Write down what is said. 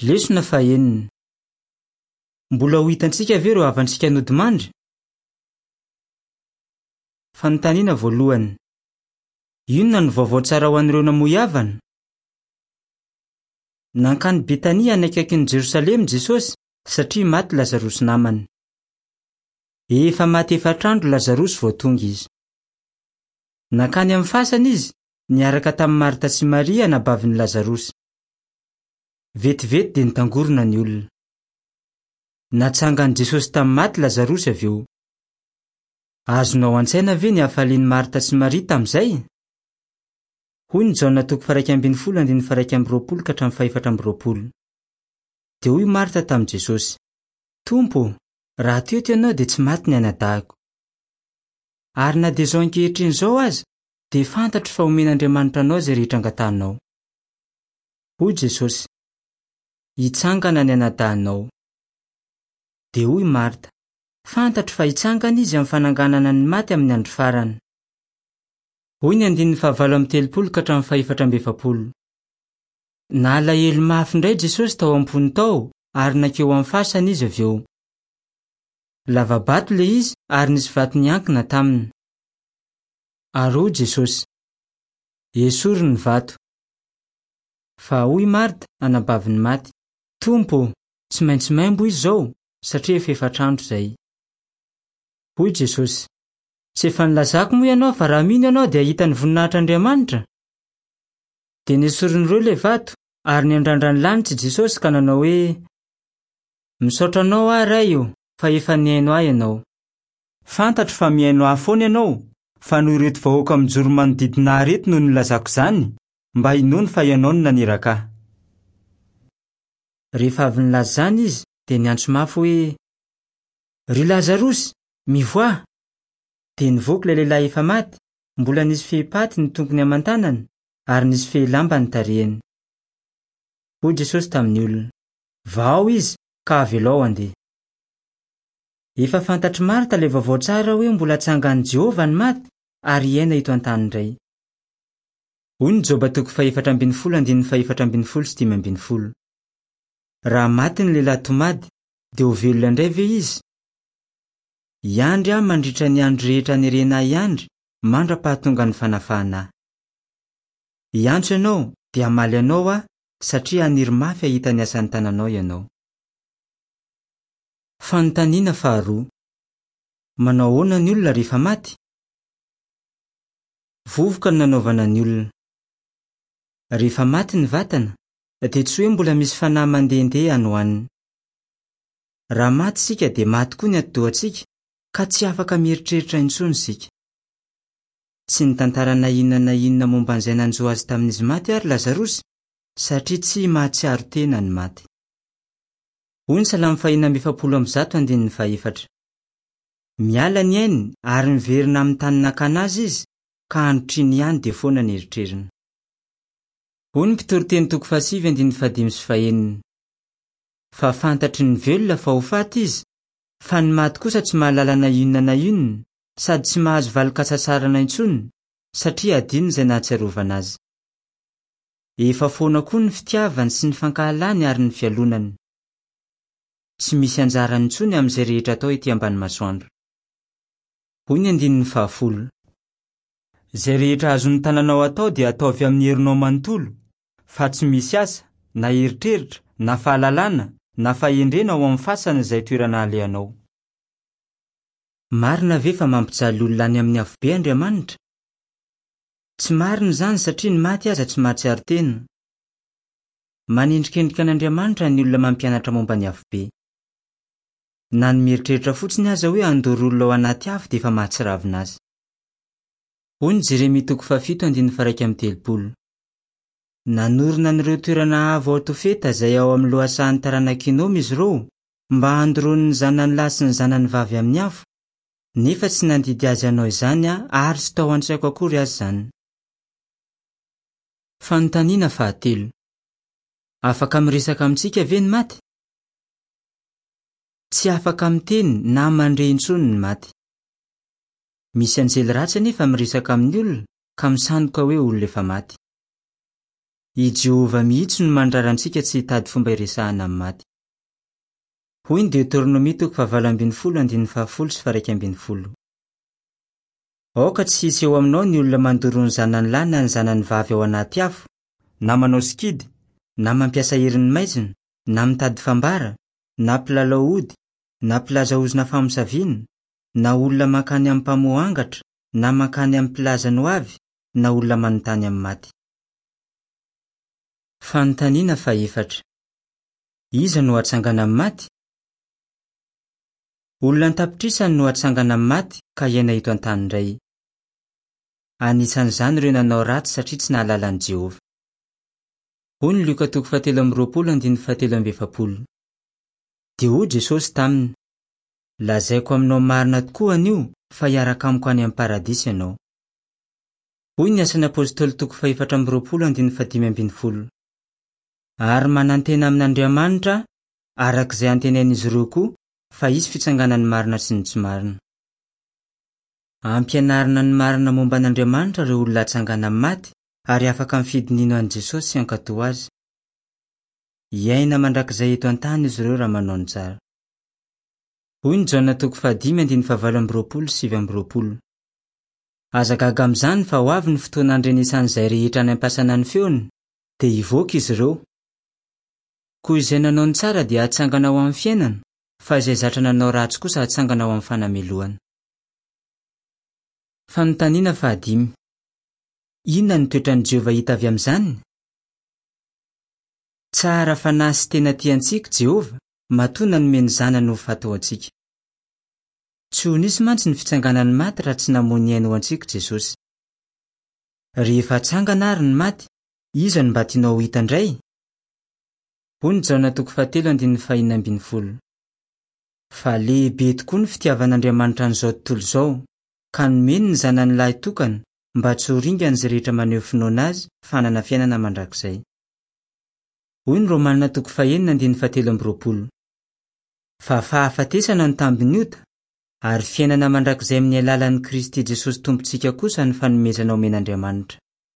Lesona fahenina. Mbola ho hitantsika ve ireo havantsika nodimandry? Fanontaniana voalohany. Inona no vaovao tsara ho an'ireo namoy havana? Nankany Betania any akaikin'i Jerosalema Jesosy satria maty Lazarosy namany. Efa maty efatr'andro Lazarosy vao tonga izy. Nankany amin'ny fasana izy niaraka tamin'i Marta sy Maria anabavin'i Lazarosy. Vetivety dia nitangorona ny olona. Natsangan'i Jesosy tamin'ny maty Lazarosy avy eo. Azonao an-tsaina ve ny hafalian'i Marta sy Maria tamin'izay? Hoy ny Jaona toko faha-11 andininy faha-21 ka hatramin'ny faha-24. Dia hoy Marta tamin'i Jesosy, Tompo ô, raha teto ianao dia tsy maty ny anadahiko. Ary na dia izao ankehitriny izao aza, dia fantatro fa homen'Andriamanitra anao izay rehetra angatahinao. Hoy Jesosy, Hitsangana ny anadahinao. Dia hoy Marta, Fantatro fa hitsangana izy amin'ny fananganana ny maty amin'ny andro farany. Hoy ny andininy fahavalo amby telopolo ka hatramin'ny fahefatra amby efapolo. Nalahelo mafy indray Jesosy tao am-pony tao ary nankeo amin'ny fasana izy avy eo. Lava-bato ilay izy ary nisy vato niankina taminy. Ary hoy Jesosy, Esory ny vato. Fa hoy Marta, anabavin'ny maty, Tompo ô, tsy maintsy maimbo izy izao, satria efa efatr'andro izay. Hoy Jesosy, Tsy efa nilazako moa ianao fa raha mino ianao dia hahita ny voninahitr'Andriamanitra? Dia nesorin'ireo ilay vato, ary niandrandra ny lanitra i Jesosy ka nanao hoe, Misaotra anao aho, Ray ô, fa efa nihaino ahy ianao. Fantatro fa mihaino ahy foana ianao, fa noho ireto vahoaka mijoro manodidina ahy ireto no nilazako izany, mba hinoany fa ianao no naniraka ahy. Rehefa avy nilaza izany izy, dia niantso mafy hoe, Ry Lazarosy, mivoaha! Dia nivoaka ilay lehilahy efa maty, mbola nisy fehipaty ny tongony aman-tanany, ary nisy fehilamba ny tarehiny. Hoy Jesosy tamin'ny olona, Vahao izy, ka avelao handeha. Efa fantatr'i Marta ilay vaovao tsara hoe mbola hatsangan'i Jehovah ny maty ary hiaina eto an-tany indray. Hoy ny Joba toko fahefatra ambin'ny folo andininy faha-14 sy 15, Raha maty ny lehilahy tomady, dia ho velona indray ve izy? Hiandry aho mandritra ny andro rehetra anerena ahy hiandry, mandra-pahatongan'ny fanafahana ahy. Hiantso ianao, dia hamaly anao aho, satria haniry mafy hahita ny asan'ny tananao ianao. Fanontaniana faharoa, Manao ahoana ny olona rehefa maty? Vovoka no nanaovana ny olona. Rehefa maty ny vatana, dia tsy hoe mbola misy fanahy mandehandeha any ho any. Raha maty isika dia maty koa ny atidohantsika, ka tsy afaka mieritreritra intsony isika. Tsy nitantara na inona na inona momba an'izay nanjo azy tamin'izy maty àry Lazarosy, satria tsy mahatsiaro tena ny maty. Hoy ny Salamo fahenina amby efapolo amby zato andininy fahefatra, Miala ny ainy ary miverina amin'ny tany nakana azy izy, ka androtr'iny ihany dia foana ny eritreriny. Hoy ny Mpitoriteny toko fahasivy andininy fahadimy sy fahenina, Fa fantatry ny velona fa ho faty izy, fa ny maty kosa tsy mahalala na inona na inona, sady tsy mahazo valin-kasasarana intsony, satria hadino izay nahatsiarovana azy. Efa foana koa ny fitiavany sy ny fankahalany ary ny fialonany. Tsy misy anjarany intsony amin'izay rehetra atao ety ambany masoandro. Hoy ny andininy fahafolo. Izay rehetra azon'ny tananao atao dia ataovy amin'ny herinao manontolo, fa tsy misy asa, na eritreritra, na fahalalana, na fahendrena ao amin'ny fasana izay toerana alehanao. Marina ve fa mampijaly olona any amin'ny afobe Andriamanitra? Tsy marina izany satria ny maty aza tsy mahatsiaro tena. Manendrikendrika an'Andriamanitra ny olona mampianatra momba ny afobe. Na ny mieritreritra fotsiny aza hoe handoro olona ao anaty afo dia efa mahatsiravina azy. Hoy ny Jeremia toko fahafito andininy faha-31. Nanorina an'ireo toerana avo ao Tofeta izay ao amin'ny lohasahan'ny taranak'i Hinoma izy ireo mba handoroany ny zanany lahy sy ny zanany vavy amin'ny afo, nefa tsy nandidy azy hanao izany aho ary tsy tao an-tsaiko akory aza izany. Fanontaniana fahatelo. Afaka miresaka amintsika ve ny maty? Tsy afaka miteny na mandre intsony ny maty. Misy anjely ratsy anefa miresaka amin'ny olona ka misandoka hoe olona efa maty. I Jehovah mihitsy no mandrara antsika tsy hitady fomba hiresahana amin'ny maty. Hoy ny Deoteronomia toko fahavalo ambin'ny folo andininy fahafolo sy faha-iraika ambin'ny folo. Aoka tsy hisy eo aminao ny olona mandoro ny zanany lahy na ny zanany vavy ao anaty afo, na manao sikidy, na mampiasa herin'ny maizina, na mitady fambara, na mpilalao ody, na mpilaza ozona famosaviana, na olona mankany amin'ny mpamoha angatra, na mankany amin'ny mpilaza ny hoavy, na olona manontany amin'ny maty. Fanontaniana fahefatra. Iza no hatsangana amin'ny maty? Olona an-tapitrisany no hatsangana amin'ny maty ka hiaina eto an-tany indray. Anisan'izany ireo nanao ratsy satria tsy nahalala an'i Jehovah. Hoy ny Lioka toko fahatelo amby roapolo andininy fahatelo amby efapolo. Dia hoy Jesosy taminy, Lazaiko aminao marina tokoa anio fa hiaraka amiko any amin'ny paradisa ianao. Hoy ny Asan'ny Apostoly toko faha-24 andininy faha-15. Ary manantena amin'Andriamanitra aho, araka izay antenain'izy ireo koa, fa hisy fitsanganan'ny marina sy ny tsy marina. Ampianarina ny marina momba an'Andriamanitra ireo olona hatsangana amin'ny maty ary afaka mifidy ny hino an'i Jesosy sy hankatò azy. Hiaina mandrakizay eto an-tany izy ireo raha manao ny tsara. Hoy ny Jaona toko fahadimy andininy fahavalo amby roapolo sy 29. Aza gaga amin'izany fa ho avy ny fotoana handrenesan'izay rehetra any am-pasana ny feony, dia hivoaka izy ireo. Koa izay nanao ny tsara dia hatsangana ho amin'ny fiainana, fa izay zatra nanao ratsy kosa hatsangana ho amin'ny fanamelohana. Fanontaniana fahadimy. Inona no toetran'i Jehovah hita avy amin'izany? Tsara fanahy sy tena tia antsika Jehovah, matoa nanome ny Zanany ho faty ho antsika. Tsy ho nisy mantsy ny fitsanganan'ny maty raha tsy namoy ny ainy ho antsika Jesosy. Rehefa hatsangana àry ny maty, iza no mba tianao ho hita indray? Hoy ny Jaona toko fahatelo andininy fahenina ambin'ny folo. Fa lehibe tokoa ny fitiavan'Andriamanitra an'izao tontolo izao, ka nomeny ny Zanany lahy tokana mba tsy ho ringana izay rehetra maneho finoana azy fa hanana fiainana mandrakizay. Hoy ny Romana toko fahenina andininy fahatelo amby roapolo. Fa fahafatesana no tambin'ny ota, ary fiainana mandrakizay amin'ny alalan'i Kristy Jesosy Tompontsika kosa ny fanomezana omen'Andriamanitra.